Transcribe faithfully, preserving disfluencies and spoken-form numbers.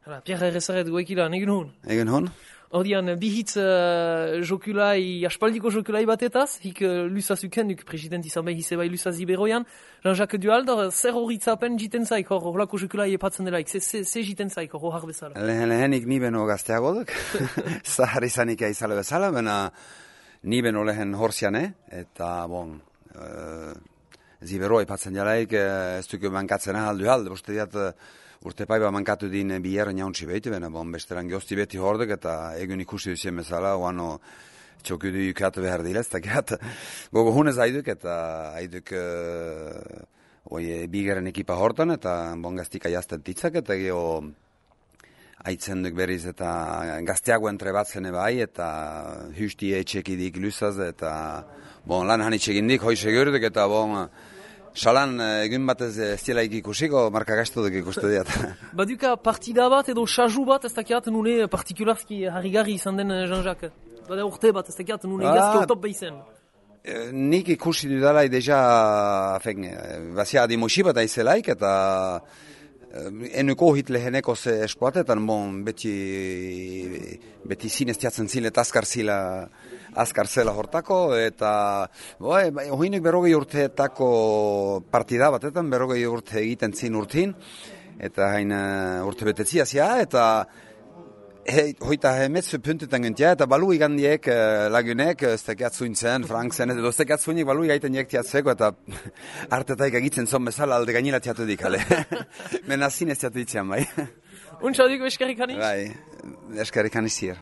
Hala, Pierre Errezaret goekilan, egin hon? Egin hon? Ordian, bihitz uh, jokulai, aspaldiko jokulai batetaz, hik uh, lusaz ukenduk, president izan behi zebai lusaz iberoian, Jean-Jacques Dualdor, zer horitzapen jiten zaik, hor horlako jokulai epatzen delaik, ze, ze, ze jiten zaik, hor har bezala? Lehen lehenik ni beno gazteago duk, zahar izanik aizale bezala, bena ni beno lehen horziane, eta bon, uh, zibero epatzen jalaik, uh, ez duk mankatzen ahal Duald, boste diat, uh, urte paiba mankatu din biher nauntzi behiti, bena bon, besteran gehozti beti hordek, eta egun ikusi duzien bezala, oano txokudu ikatu behar dilez, eta gehat, gogo hunez haiduk, eta haiduk uh, oi, bigeren ekipa hortan, eta bon gaztika jazten titzak, eta geho haitzen duk berriz, eta gazteago entrebatzen ebai, eta husti etxekidik lusaz, eta bon, lan hanitxegin dik, hoi segurduk, eta bon, Salan, egun batez ez dielaik ikusiko, marka gaiztu duk ikustu diat. Baduka partida bat edo saju bat, ez dakiat nune partikularski harrigarri izan den Jean-Jacques. Bada urte bat, ez dakiat nune ah, gazki otop behizen. Nik ikusi dudalai deja, bazia adimusi bat aizelaik, eta enuko hit leheneko ze eskuatetan, bon, beti, beti zinez tiatzen zile eta azkar zila, azkar zela hortako, eta boi, hoinek berrogei urteetako partida batetan, berrogei urte egiten zin urtin, eta hain uh, urte betetzia zia, eta he, hoita hemetzu puntetan gentia, eta balu igandiek uh, lagunek, ez tekiat zuintzen, Frank zen, edo ez tekiat zuinik balu igaiten jek tiatzeko, eta artetaik egitzen zon bezala alde gainila tiatu dikale. Mena zinez tiatu ditzean, bai. Untsa dugu eskerrik haniz? Bai, eskerrik haniz zier.